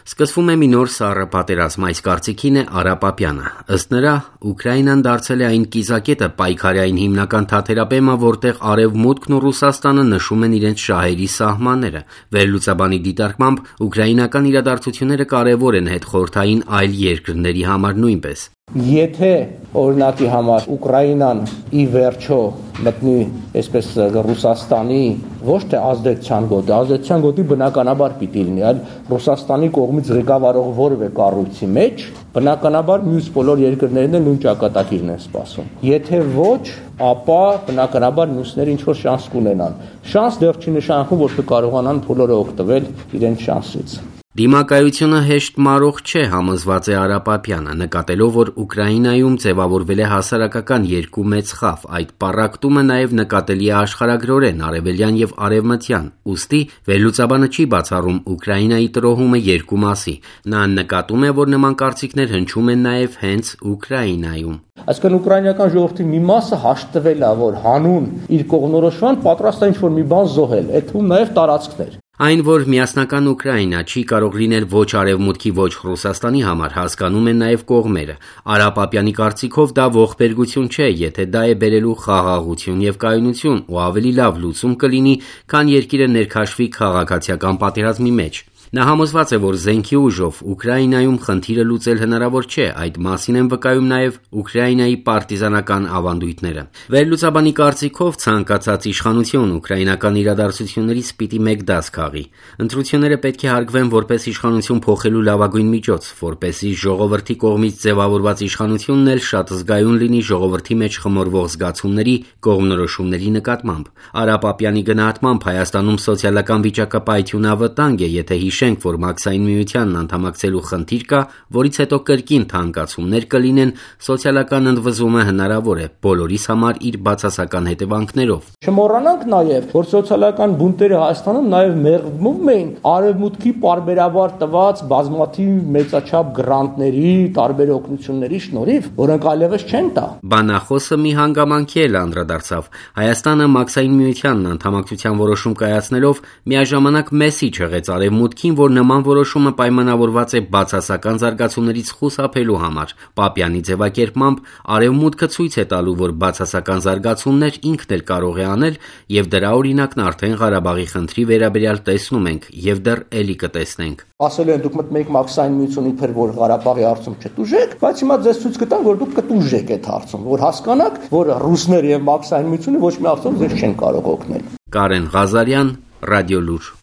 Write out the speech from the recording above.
Սկսվում է մի նոր սառը պատերազմ, այս կարծիքին է Արա Պապյանը։ Ըստ նրա, Ուկրաինան դարձել է այն կիզակետը պայքարային հիմնական թաթերաբեմը, որտեղ Արևմուտքն ու Ռուսաստանը նշում են իրենց շահերի սահմանները։ Վերլուծաբանի դիտարկմամբ ուկրաինական իրադարձությունները կարևոր են հետխորհրդային այլ երկրների համար նույնպես։ Եթե օրինակի համար Ուկրաինան ի վերջո մտնի այսպես Ռուսաստանի ոչ թե ազդեցության գոտի բնականաբար պիտի լինի, այլ Ռուսաստանի կողմից ղեկավարող որևէ կառույցի մեջ, բնականաբար մյուս բոլոր երկրներն էլ նույն ճակատագիրն են սպասում։ Եթե ոչ, ապա բնականաբար մյուսները ինչ-որ շանս կունենան։ Շանս դեռ չի նշանակում, որ կկարողանան բոլորը օգտվել իրենց շանսից։ Դիմակայությունը հեշտ մարող չէ, համոզված է Արա Պապյանը, նկատելով, որ Ուկրաինայում ձևավորվել է հասարակական երկու մեծ խավ, այդ պառակտումը նաև նկատելի է աշխարհագրորեն, արևելյան եւ արևմտյան, ուստի վերլուծաբանը չի բացառում Ուկրաինայի տրոհումը երկու մասի, նա նկատում է, որ նման կարծիքներ հնչում են նաև հենց Ուկրաինայում։ Այսինքն ուկրաինական ժողովրդի մի մասը հաշտվել է, որ հանուն իր կողմնորոշման պատրաստ է ինչ-որ մի բան զոհել, այդ թվում նաև տարածքներ։ Այն, որ միասնական Ուկրաինա չի կարող լինել ոչ Արևմուտքի, ոչ Ռուսաստանի համար, հասկանում են նաև կողմերը։ Արա Պապյանի կարծիքով դա ողբերգություն չէ, եթե դա է բերելու խաղաղություն եւ կայունություն, ու ավելի լավ լուծում կլինի, քան երկիրը ներքաշվի քաղաքացիական պատերազմի մեջ։ Նա համոզված է, որ զենքի ուժով Ուկրաինայում խնդիրը լուծել հնարավոր չէ, այդ մասին են վկայում նաև Ուկրաինայի պարտիզանական ավանդույթները։ Վերլուծաբանի կարծիքով ցանկացած իշխանություն ուկրաինական իրադարձություններից պիտի մեկ դաս քաղի։ Ընտրությունները պետք է հարգվեն որպես իշխանություն փոխելու լավագույն միջոց, որպեսզի ժողովրդի կողմից ձևավորված իշխանությունն էլ շատ զգայուն լինի ժողովրդի մեջ խմորվող զգացումների, կողմնորոշումների նկատմամբ։ Արա Պապյանի գնահատմամբ Հայաստանում սոցիալական վիճակը պայթյունավտանգ է, եթե հիշենք, որ Մաքսային միությանն անդամակցելու խնդիր կա, որից հետո կրկին թանկացումներ կլինեն, սոցիալական ընդվզումը հնարավոր է, բոլորիս համար իր բացասական հետևանքներով։ Չմոռանանք նաև, որ սոցիալական բունտերը Հայաստանում նաև մեղմում էին արևմուտքի պարբերաբար տված բազմաթիվ մեծաչափ գրանտների, տարբեր օգնությունների շնորհիվ, որոնք այլևս չեն տա։ Բանախոսը մի հանգամանքի էլ անդրադարձավ։ Հայաստանը Մաքսային միությանն անդամակցության որոշում կայացնելով միաժամանակ մեսիջ եղեց արևմուտքին, որ նման որոշումը պայմանավորված է բացասական զարգացումներից խուսափելու համար։ Պապյանի ձևակերպմամբ արևմուտքը ցույց է տալու, որ բացասական զարգացումներ ինքն էլ կարող է անել, եւ դրա օրինակն արդեն Ղարաբաղի խնդրի վերաբերյալ տեսնում ենք եւ դեռ էլի կտեսնենք։ Ասել են դուք մտնում եք Մաքսային միությունի փեր, որ Ղարաբաղի հարցում չտուժեք, բայց հիմա ձեզ ցույց կտան, որ դուք կտուժեք այդ հարցում, որ հասկանաք, որ ռուսները եւ Մաքսային միությունը ոչ մի հարցում ձեզ չեն կարող օգնել։ Կարեն Ղազարյան, Ռադիոլուր։